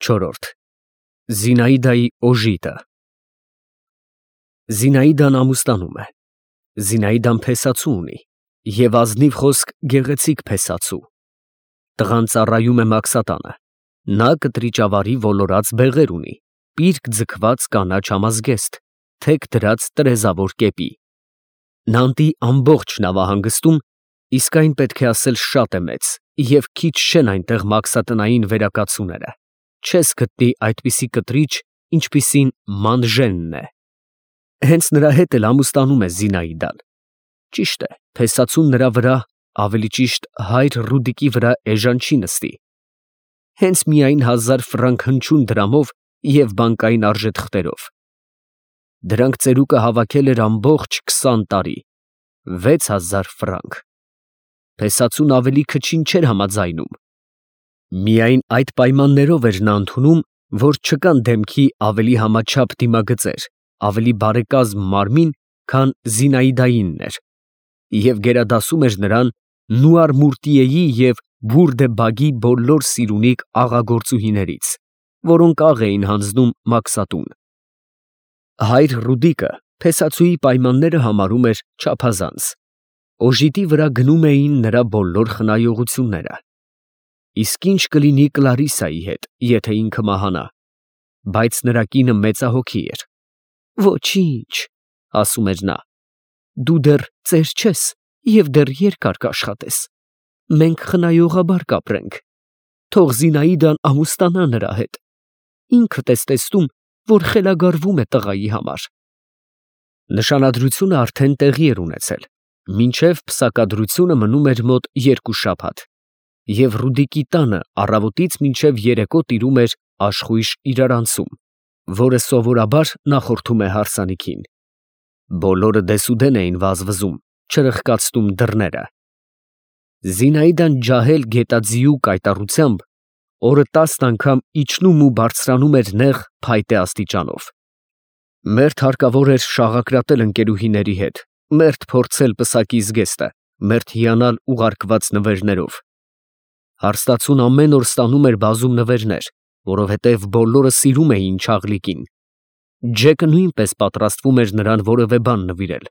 Չորրորդ Զինաիդայի օժիտը։ Զինաիդան ամուսնանում է։ Զինաիդան փեսացու ունի և ազնիվ խոսք գեղեցիկ փեսացու։ Տղան ծառայում է մաքսատանը։ Նա կտրիճավարի ոլորած բեղեր ունի, պիրկ ձգված կանաչ համազգեստ, թեք դրած տրեզավոր կեպի։ Նանտի ամբողջ նավահանգստում, իսկ այն պետք է ասել շատ է մեծ, և քիչ չեն այնտեղ մաքսատնային վերակացուները, չես գտնի այդպիսի կտրիչ, ինչպիսին Մանժենն է։ Հենց նրա հետ էլ ամուսնանում է Զինաիդան։ Ճիշտ է, փեսացուն նրա վրա, ավելի ճիշտ հայր Ռուդիկի վրա էժան չի նստի։ Հենց միայն 1000 ֆրանկ հնչյուն դրամով և բանկային արժեթղթերով։ Դրանք ծերուկը հավաքել էր ամբողջ 20 տարի, 6000 ֆրանկ։ Փեսացուն ավելի քչին չէր համաձայնում։ Միայն այդ պայմաններով էր նա ընդունում, որ չկան դեմքի ավելի համաչափ դիմագծեր, ավելի բարեկազմ մարմին, քան Զինաիդայինն էր, և գերադասում էր նրան Նուար֊Մուրտիեի և Բուռդե֊Բագի բոլոր սիրունիկ աղագործուհիներից, որոնք աղ էին հանձնում մաքսատուն։ Հայր Ռուդիկը փեսացուի պայմանները համարում էր չափազանց։ Օժիտի վրա գնում էին նրա բոլոր խնայողությունները։ Իսկ ինչ կլինի Կլարիսայի հետ, եթե ինքը մահանա։ Բայց նրա կինը մեծահոգի էր։ Ոչինչ, ասում էր նա, դու դեռ ծեր չես և դեռ երկար կաշխատես։ Մենք խնայողաբար կապրենք։ Թող Զինաիդան ամուսնանա նրա հետ։ Ինքդ ես տեսնում, որ խելագարվում է տղայի համար։ Նշանադրությունը արդեն տեղի էր ունեցել, մինչև պսակադրությունը մնում էր մոտ 2 շաբաթ, և Ռուդիկի տանը առավոտից մինչև երեկո տիրում էր աշխույժ իրարանցում, որը սովորաբար նախորդում է հարսանիքին։ Բոլորը դեսուդեն էին վազվզում, չրխկացնում դռները։ Զինաիդան ջահել գետաձիու կայտառությամբ օրը 10 անգամ իջնում ու բարձրանում էր նեղ փայտե աստիճանով։ Մերթ հարկավոր էր շաղակրատել ընկերուհիների հետ, մերթ փորձել պսակի զգեստը, մերթ հիանալ ուղարկված նվերներով։ Հարստացուն ամեն օր ստանում էր բազում նվերներ, որովհետև բոլորը սիրում էին Չաղլիկին։ Ջեկը նույնպես պատրաստվում էր նրան որևէ բան նվիրել։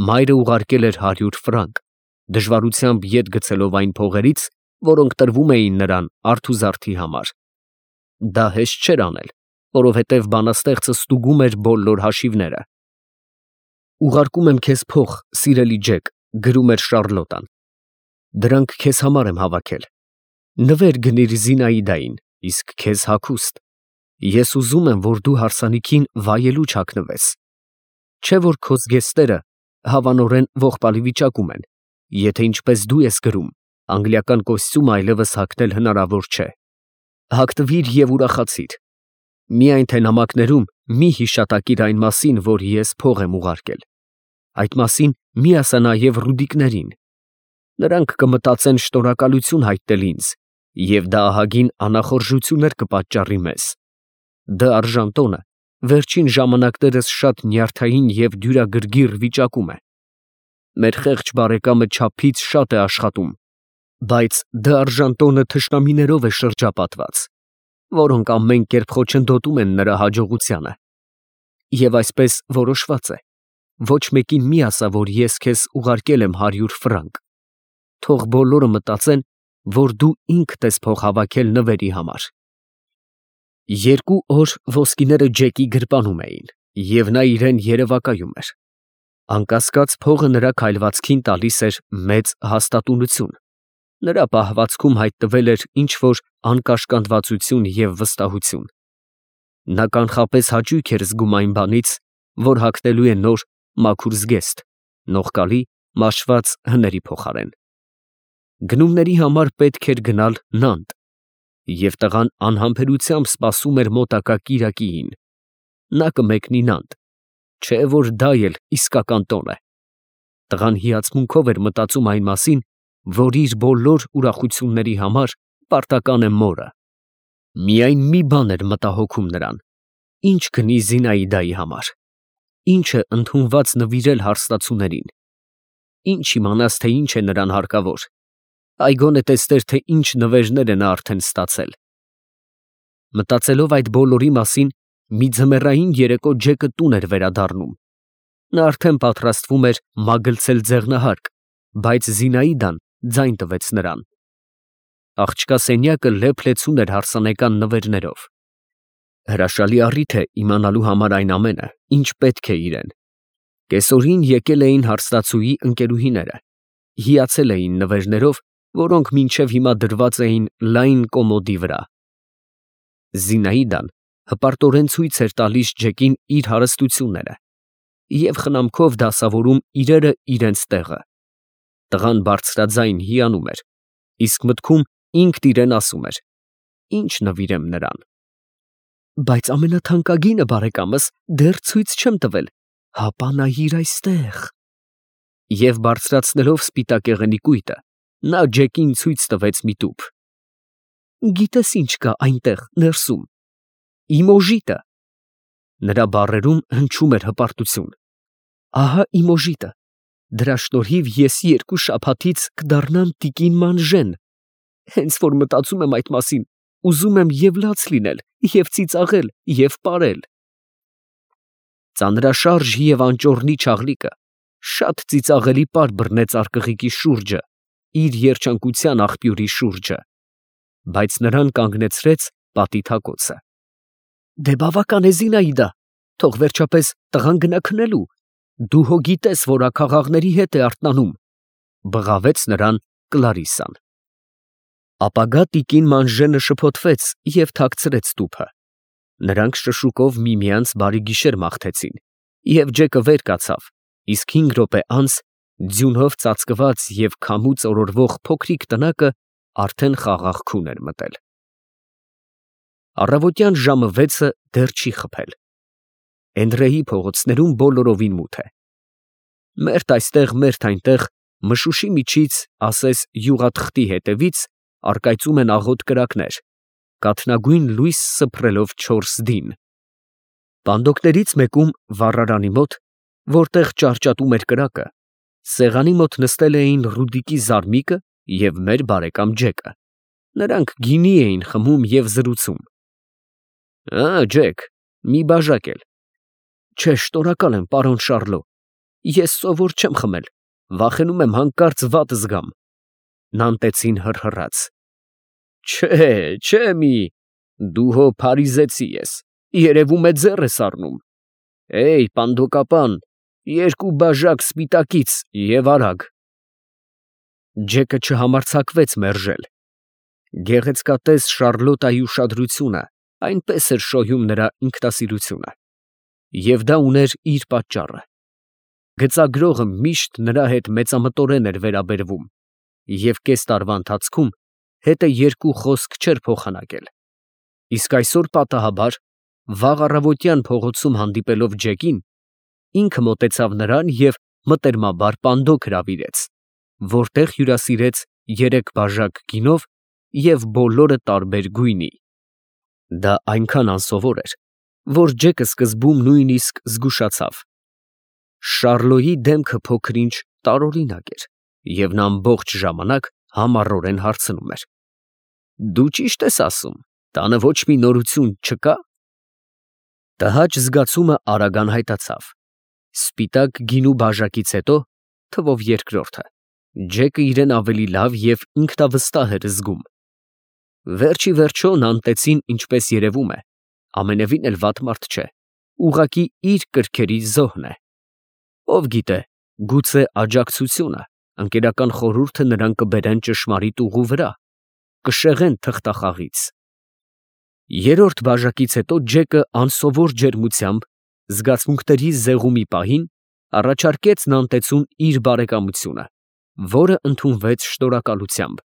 Մայրը ուղարկել էր 100 ֆրանկ, դժվարությամբ ետ գցելով այն փողերից, որոնք տրվում էին նրան արթուզարդի համար։ Դա հեշտ չէր անել, որովհետև բանաստեղծը ստուգում էր բոլոր հաշիվները։ Ուղարկում եմ քեզ փող, սիրելի Ջեք, գրում էր Շառլոտան։ Դրանք քեզ համար եմ հավաքել։ Նվեր գնիր Զինաիդային, իսկ քեզ հագուստ։ Ես ուզում եմ, որ դու հարսանիքին վայելու չհագնվես։ Չէ որ քո զգեստները հավանորեն ողբալի վիճակում են, եթե ինչպես դու ես գրում, անգլիական կոստյում այլևս հագնել հնարավոր չէ։ Հագնվիր և ուրախացիր։ Միայն թե նամակներում մի հիշատակիր այն մասին, որ ես փող եմ ուղարկել։ Այդ մասին մի ասա նաև Ռուդիկներին։ Նրանք կմտածեն շնորհակալություն հայտնել ինձ, և դա ահագին անախորժություններ կպատճառի մեզ։ Դ. Արժանտոնը վերջին ժամանակներս շատ նյարդային և դյուրագրգիռ վիճակում է։ Մեր խեղճ բարեկամը չափից շատ է աշխատում, բայց Դ. Արժանտոնը թշնամիներով է շրջապատված, որոնք ամեն կերպ խոչընդոտում են նրա հաջողությանը։ Եվ այսպես որոշված է, ոչ մեկին մի ասա, որ ես քեզ ուղարկել եմ 100 ֆրանկ։ Թող բոլորը մտածեն, որ դու ինքդ ես փող հավաքել նվերի համար։ 2 օր ոսկիները Ջեկի գրպանում էին, և նա իրեն երևակայում էր։ Անկասկած փողը նրա քայլվածքին տալիս էր մեծ հաստատունություն։ Նրա պահվածքում հայտնվել էր ինչ֊որ անկաշկանդվածություն և վստահություն։ Նա կանխապես հաճույք էր զգում այն բանից, որ հագնելու է նոր մաքուր զգեստ, նողկալի մաշված հների փոխարեն։ Գնումների համար պետք էր գնալ Նանտ, և տղան անհամբերությամբ սպասում էր մոտակա կիրակիին։ Նա կմեկնի Նանտ, չէ որ դա էլ իսկական տոն է։ Տղան հիացմունքով էր մտածում այն մասին, որ իր բոլոր ուրախությունների համար պարտական է մորը։ Միայն մի բան էր մտահոգում նրան. ինչ գնի Զինաիդայի համար, ինչ է ընդունված նվիրել հարստացուներին։ Ինչ իմանաս, թե ինչ է նրան հարկավոր, այ գոնե տեսներ, թե ինչ նվերներ է նա արդեն ստացել։ Մտածելով այդ բոլորի մասին, մի ձմեռային երեկո Ջեկը տուն էր վերադառնում։ Նա արդեն պատրաստվում էր մագլցել ձեղնահարկ, բայց Զինայդան ձայն տվեց նրան։ Աղջկա սենյակը լեփ-լեցուն էր հարսանեկան նվերներով։ Հրաշալի առիթ է իմանալու համար այն ամենը, ինչ պետք է իրեն։ Կեսօրին եկել էին հարսնացուի ընկերուհիները, հիացել էին նվերներով, որոնք մինչև հիմա դրված էին լայն կոմոդի վրա։ Զինայդան հպարտորեն ցույց էր տալիս Ջեկին իր հարստությունները և խնամքով դասավորում իրերը իրենց տեղը։ Տղան բարձրաձայն հիանում էր, իսկ մտքում ինքն իրեն ասում էր. «Ինչ նվիրեմ նրան»։ Բայց ամենաթանկագինը, բարեկամս, դեռ ցույց չեմ տվել, հապա նայիր այստեղ։ Եվ բարձրացնելով սպիտակեղենի կույտը, նա Ջեկին ցույց տվեց մի տուփ։ Գիտես ինչ կա այնտեղ ներսում։ Իմ օժիտը։ Նրա բառերում հնչում էր հպարտություն։ Ահա իմ օժիտը։ Դրա շնորհիվ ես 2 շաբաթից կդառնամ տիկին Մանժեն։ Հենց որ մտածում եմ այդ մասին, ուզում եմ և լաց լինել, և ծիծաղել, և պարել։ Ծանրաշարժ և անճոռնի չաղլիկը շատ ծիծաղելի պար բռնեց արկղիկի շուրջը, իր երջանկության աղբյուրի շուրջը, բայց նրան կանգնեցրեց պատի թակոցը։ Դե բավական է, Զինայդա, թող վերջապես տղան գնա քնելու, դու հո գիտես, որ աքաղաղների հետ է արթնանում, բղավեց նրան Կլարիսան։ Ապագա տիկին Մանժենը շփոթվեց և թաքցրեց տուփը։ Նրանք շշուկով միմյանց բարի գիշեր մաղթեցին, և Ջեկը վեր կացավ, իսկ 5 րոպե անց ձյունով ծածկված և քամուց օրորվող փոքրիկ տնակը արդեն խաղաղ քուն էր մտել։ Առավոտյան ժամը 6-ը դեռ չի խփել։ Էնդրեի փողոցներում բոլորովին մութ է։ Մերթ այստեղ, մերթ այնտեղ, մշուշի միջից, ասես յուղաթղթի հետևից, առկայծում են աղոտ կրակներ, կաթնագույն լույս սփռելով 4 դին։ Պանդոկներից մեկում, վառարանի մոտ, որտեղ ճարճատում էր կրակը, սեղանի մոտ նստել էին Ռուդիկի զարմիկը և մեր բարեկամ Ջեկը։ Նրանք գինի էին խմում և զրուցում։ Ջեք, մի բաժակ էլ։ Չէ, շնորհակալ եմ, պարոն Շառլո, ես սովոր չեմ խմել, վախենում եմ հանկարծ վատ զգամ։ Նանտեցին հռհռաց։ Չէ, մի, դու հո փարիզեցի ես, երևում է ձեռ ես առնում։ Էյ, պանդոկապան, 2 բաժակ սպիտակից և արագ։ Ջեկը չհամարձակվեց մերժել։ Գեղեցկատես Շառլոտայի ուշադրությունը այնպես էր շոյում նրա ինքնասիրությունը։ Եվ դա ուներ իր պատճառը։ Գծագրողը միշտ նրա հետ մեծամտորեն էր վերաբերվում, և կես տարվա ընթացքում հետը 2 խոսք չէր փոխանակել։ Իսկ այսօր պատահաբար, վաղ առավոտյան փողոցում հանդիպելով Ջեկին, ինքը մոտեցավ նրան և մտերմաբար պանդոկ հրավիրեց, որտեղ հյուրասիրեց 3 բաժակ գինով և բոլորը տարբեր գույնի։ Դա այնքան անսովոր էր, որ Ջեկը սկզբում նույնիսկ զգուշացավ։ Շառլոյի դեմքը փոքր-ինչ տարօրինակ էր, և նա ամբողջ ժամանակ համառորեն հարցնում էր. Դու ճիշտ ես ասում, տանը ոչ մի նորություն չկա՞։ Տհաճ զգացումը արագ անհայտացավ։ Սպիտակ գինու բաժակից հետո, թվով երկրորդը, Ջեկը իրեն ավելի լավ և ինքնավստահ էր զգում։ Վերջ ի վերջո Նանտեցին, ինչպես երևում է, ամենևին էլ վատ մարդ չէ, ուղղակի իր կրքերի զոհն է։ Ով գիտե, գուցե աջակցությունը, ընկերական խորհուրդը նրան կբերեն ճշմարիտ ուղու վրա, կշեղեն թղթախաղից։ 3-րդ բաժակից հետո Ջեկը անսովոր ջերմությամբ, զգացմունքների զեղումի պահին, առաջարկեց Նանտեցուն իր բարեկամությունը, որը ընդունվեց շնորհակալությամբ,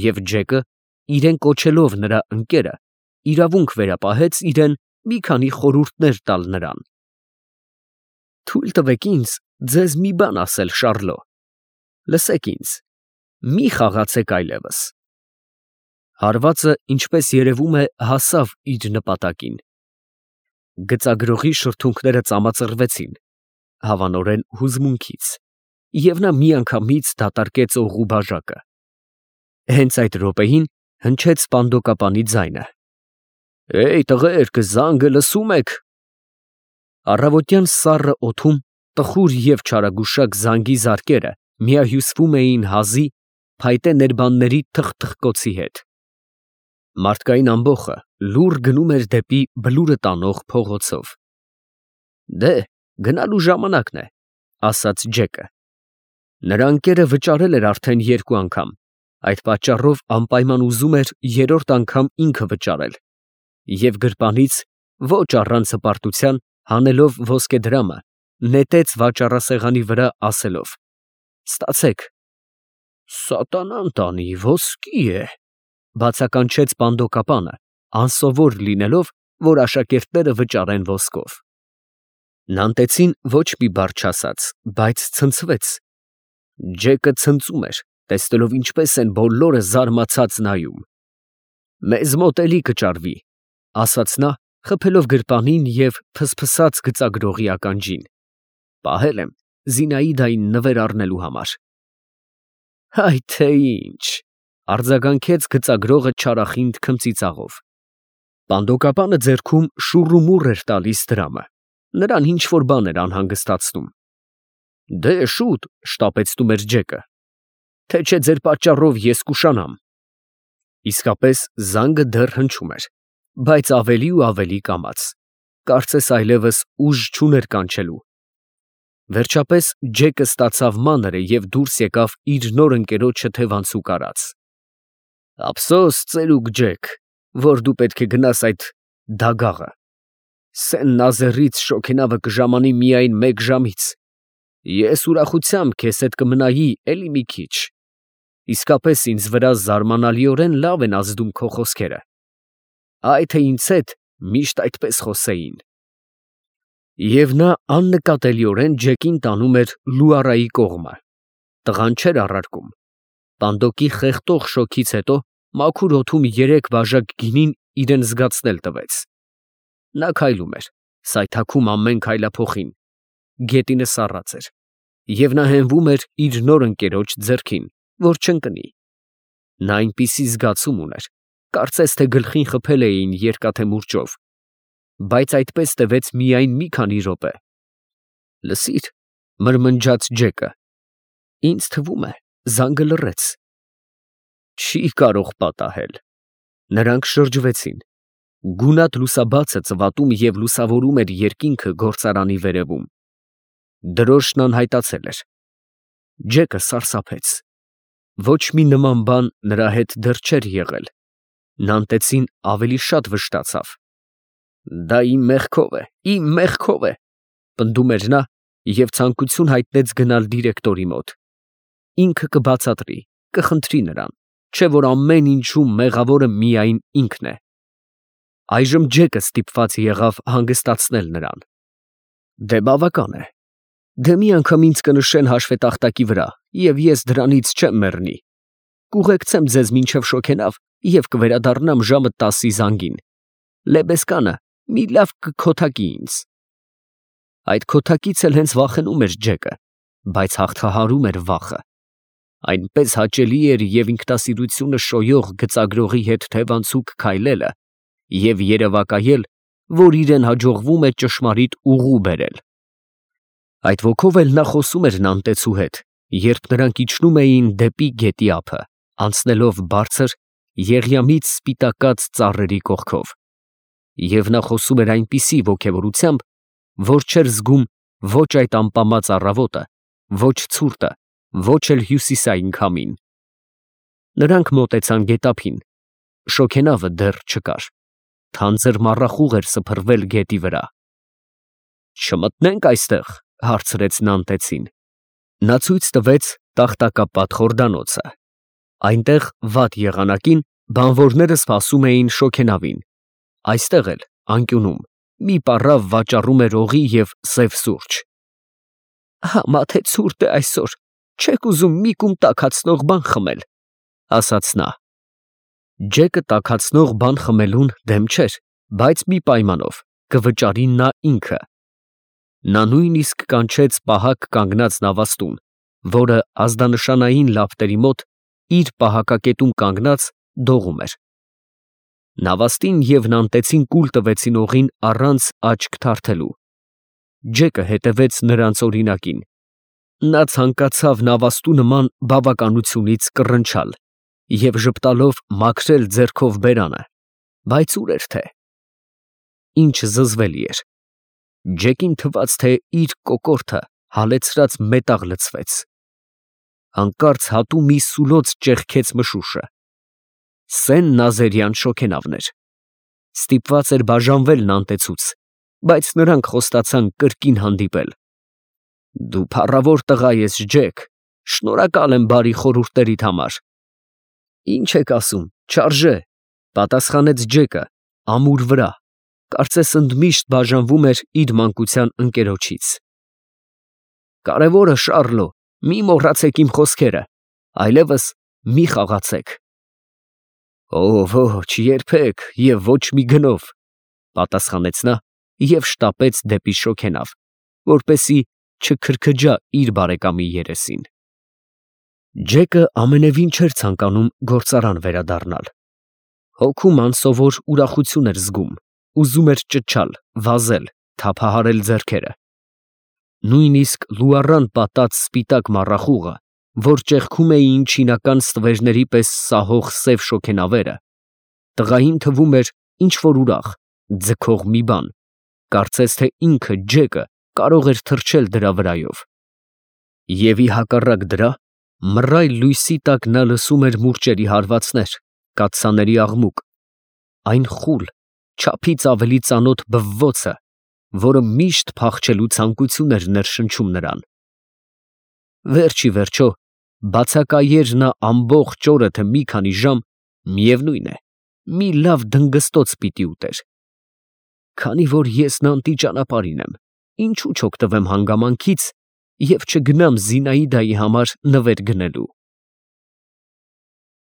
և Ջեկը, իրեն կոչելով նրա ընկերը, իրավունք վերապահեց իրեն մի քանի խորհուրդներ տալ նրան։ Թույլ տվեք ինձ ձեզ մի բան ասել, Շառլո։ Լսեք ինձ, մի խաղացեք այլևս։ Հարվածը, ինչպես երևում է, հասավ իր նպատակին։ Գծագրողի շրթունքները ծամածռվեցին, հավանորեն հուզմունքից, և նա միանգամից դատարկեց օղու բաժակը։ Հենց այդ րոպեին հնչեց պանդոկապանի ձայնը։ Էյ տղերք, զանգը լսում եք։ Առավոտյան սառը օդում տխուր և չարագուշակ զանգի զարկերը միահյուսվում էին հազի, փայտե ներբանների թխթխկոցի հետ։ Մարդկային ամբոխը լուռ գնում էր դեպի բլուրը տանող փողոցով։ Դե, գնալու ժամանակն է, ասաց Ջեկը։ Նրա ընկերը վճարել էր արդեն 2 անգամ, այդ պատճառով անպայման ուզում էր 3-րդ անգամ ինքը վճարել, և գրպանից, ոչ առանց հպարտության, հանելով ոսկեդրամը, նետեց վաճառասեղանի վրա, ասելով. «Ստացեք»։ «Սատանան տանի, ոսկի է», բացականչեց պանդոկապանը, անսովոր լինելով, որ աշակերտները վճարեն ոսկով։ Նանտեցին ոչ մի բառ չասաց, բայց ցնցվեց։ Ջեկը ցնծում էր, տեսնելով ինչպես են բոլորը զարմացած նայում։ «Մեզ մոտ էլի կճարվի», ասաց նա, խփելով գրպանին և ֆսֆսաց գծագրողի ականջին։ «Պահել եմ Զինայդային նվեր առնելու համար»։ «Հայ թե ինչ», արձագանքեց գծագրողը չարախինդ քմծիծաղով։ Պանդոկապանը ձեռքում շուռումուռ էր տալիս դրամը, նրան ինչ֊որ բան էր անհանգստացնում։ «Դե շուտ», շտապեցնում էր Ջեկը, «թե չէ ձեր պատճառով ես կուշանամ»։ Իսկապես զանգը դեռ հնչում էր, բայց ավելի ու ավելի կամաց, կարծես այլևս ուժ չուներ կանչելու։ Վերջապես Ջեկը ստացավ մանրը և դուրս եկավ իր նոր ընկերոջը թևանցուկ արած։ «Ափսոս, ծերուկ Ջեք, որ դու պետք է գնաս այդ դագաղը։ Սեն Նազերից շոգենավը կժամանի միայն 1 ժամից։ Ես ուրախությամբ քեզ հետ կմնայի էլի մի քիչ։ Իսկապես ինձ վրա զարմանալիորեն լավ են ազդում քո խոսքերը։ Այ թե ինձ հետ միշտ այդպես խոսեին»։ Եվ նա աննկատելիորեն Ջեկին տանում էր Լուարայի կողմը։ Տղան չէր առարկում։ Պանդոկի խեղդող շոքից հետո մաքուր օդում 3 բաժակ գինին իրան զգացնել տվեց։ Նա քայլում էր, սայթաքում ամեն քայլափոխին, գետինը սառած էր, և նա հենվում էր իր նոր ընկերոջ ձեռքին, որ չընկնի։ Նա այնպիսի զգացում ուներ, կարծես թե գլխին խփել էին երկաթե մուրճով, բայց այդպես տևեց միայն մի քանի րոպե։ «Լսիր», մրմնջաց Ջեկը, «ինձ թվում է, զանգը լռեց»։ «Չի կարող պատահել»։ Նրանք շրջվեցին։ Գունատ լուսաբացը ծվատում և լուսավորում էր երկինքը գործարանի վերևում։ Դրոշն անհայտացել էր։ Ջեկը սարսափեց։ Ոչ մի նման բան նրա հետ դեռ չէր եղել։ Նանտեցին ավելի շատ վշտացավ։ «Դա իմ մեղքով է, իմ մեղքով է», պնդում էր նա և ցանկություն հայտնեց գնալ դիրեկտորի մոտ։ Ինքը կբացատրի, կխնդրի նրան, չէ՞ որ ամեն ինչում մեղավորը միայն ինքն է։ Այժմ Ջեկը ստիպված եղավ հանգստացնել նրան։ «Դե բավական է։ Դե մի անգամ ինձ կնշեն հաշվետախտակի վրա, և ես դրանից չեմ մեռնի։ Կուղեկցեմ ձեզ մինչև Շոգենավ և կվերադառնամ ժամը 10-ի զանգին։ Լեբեսկանը մի լավ կքոթակի ինձ»։ Այդ քոթակից էլ հենց վախենում էր Ջեկը, բայց հաղթահարում էր վախը։ Այնպես հաճելի էր և ինքնասիրությունը շոյող գծագրողի հետ թևանցուկ քայլելը և երևակայել, որ իրեն հաջողվում է ճշմարիտ ուղու բերել։ Այդ ոգով էլ նա խոսում էր Նանտեցու հետ, երբ նրանք իջնում էին դեպի գետի ափը, անցնելով բարձր, եղյամից սպիտակած ծառերի կողքով։ Եվ նա խոսում էր այնպիսի ոգևորությամբ, որ չէր զգում ոչ այդ ամպամած առավոտը, ոչ ցուրտը, ոչ էլ հյուսիսային քամին։ Նրանք մոտեցան գետափին։ Շոգենավը դեռ չկար։ Թանձր մառախուղ էր սփռվել գետի վրա։ «Չմտնե՞նք այստեղ», հարցրեց Նանտեցին։ Նա ցույց տվեց տախտակապատ խորդանոցը։ Այնտեղ վատ եղանակին բանվորները սպասում էին շոգենավին։ Այստեղ էլ, անկյունում, մի պառավ վաճառում էր օղի և սև սուրճ։ «Համա թե ցուրտ է այսօր, չեք ուզում մի կում տաքացնող բան խմել», ասաց նա։ Ջեկը տաքացնող բան խմելուն դեմ չէր, բայց մի պայմանով, կվճարի նա ինքը։ Նա նույնիսկ կանչեց պահակ կանգնած նավաստուն, որը ազդանշանային լապտերի մոտ իր պահակակետում կանգնած դողում էր։ Նավաստին և նանտեցին կուլ տվեցին օղին առանց աչք թարթելու։ Ջեկը հետևեց նրանց օրինակին։ Նա ցանկացավ նավաստու նման բավականությունից կռնչալ և ժպտալով մաքրել ձեռքով բերանը, բայց ուր էր թե։ Ինչ զզվելի էր։ Ջեկին թվաց, թե իր կոկորդը հալեցրած մետաղ լցվեց։ Հանկարծ հատու մի սուլոց ճեղքեց մշուշը։ Սեն նազերյան շոգենավն էր։ Ստիպված էր բաժանվել նանտեցուց, բայց նրանք խոստացան կրկին հանդիպել։ Դու փառավոր տղա ես, Ջեք, շնորհակալ եմ բարի խորհուրդներիդ համար։ Ինչ եք ասում, չարժե, պատասխանեց Ջեկը, ամուր վրա, կարծես ընդմիշտ բաժանվում էր իր մանկության ընկերոջից։ Կարևորը, Շառլո, մի մոռացեք իմ խոսքերը, այլևս մի խաղացեք։ Ոչ, երբեք և ոչ մի գնով, պատասխանեց նա և շտապեց դեպի շոգենավ, որպեսզի չքրքջա իր բարեկամի երեսին։ Ջեկը ամենևին չէր ցանկանում գործարան վերադառնալ։ Հոգում անսովոր ուրախություն էր զգում, ուզում էր ճչալ, վազել, թափահարել ձեռքերը։ Նույնիսկ լուառան պատած սպիտակ մառախուղը, որ ճեղքում էին չինական ստվերների պես սահող սև շոգենավերը, տղային թվում էր ինչ֊որ ուրախ, ձգող մի բան, կարծես թե ինքը Ջեկը կարող էր թռչել դրա վրայով։ Եվ ի հակառակ դրա, մռայլ լույսի տակ նա լսում էր մուրճերի հարվածներ, կաթսաների աղմուկ, այն խուլ, չափից ավելի ծանոթ բվվոցը, որը միշտ փախչելու ցանկություն էր ներշնչում նրան։ Վերջ ի վերջո, բացակայեր նա ամբողջ օրը թե մի քանի ժամ, միևնույն է, մի լավ դնգստոց պիտի ուտեր։ Քանի որ ես նանտի ճանապարհին եմ, ինչու չօգտվեմ հանգամանքից և չգնամ Զինայդայի համար նվեր գնելու։